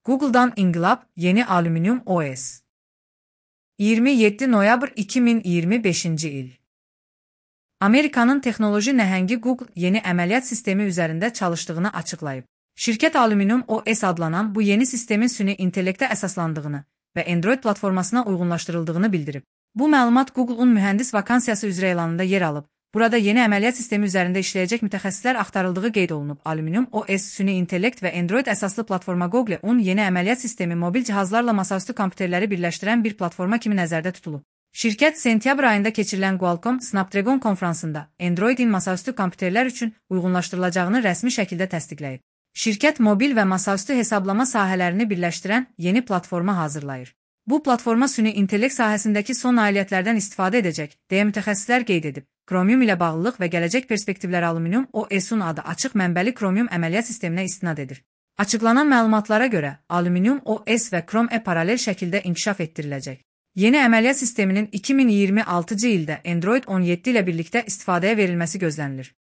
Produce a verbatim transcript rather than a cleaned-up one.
Google'dan inqilab, yeni Aluminium O S. iyirmi yeddi noyabr iki min iyirmi beşinci il. Amerikanın texnoloji nəhəngi Google yeni əməliyyat sistemi üzərində çalışdığını açıqlayıb. Şirkət Aluminium O S adlanan bu yeni sistemin süni intellektə əsaslandığını və Android platformasına uyğunlaşdırıldığını bildirib. Bu məlumat Google-un mühəndis vakansiyası üzrə elanında yer alıb. Burada yeni əməliyyat sistemi üzərində işləyəcək mütəxəssislər axtarıldığı qeyd olunub. Aluminium O S süni intellekt və Android əsaslı platforma Google-un yeni əməliyyat sistemi mobil cihazlarla masaüstü kompüterləri birləşdirən bir platforma kimi nəzərdə tutulub. Şirkət sentyabr ayında keçirilən Qualcomm Snapdragon konfransında Android-in masaüstü kompüterlər üçün uyğunlaşdırılacağını rəsmi şəkildə təsdiqləyib. Şirkət mobil və masaüstü hesablama sahələrini birləşdirən yeni platforma hazırlayır. Bu platforma süni intellekt sahəsindəki son nailiyyətlərdən istifadə edəcək, deyə mütəxəssislər qeyd edib. Chromium ilə bağlılıq və gələcək perspektivləri Aluminium O S-un adı açıq mənbəli Chromium əməliyyat sisteminə istinad edir. Açıqlanan məlumatlara görə, Aluminium O S və Chrome E paralel şəkildə inkişaf etdiriləcək. Yeni əməliyyat sisteminin iki min iyirmi altıncı ildə Android on yeddi ilə birlikdə istifadəyə verilməsi gözlənilir.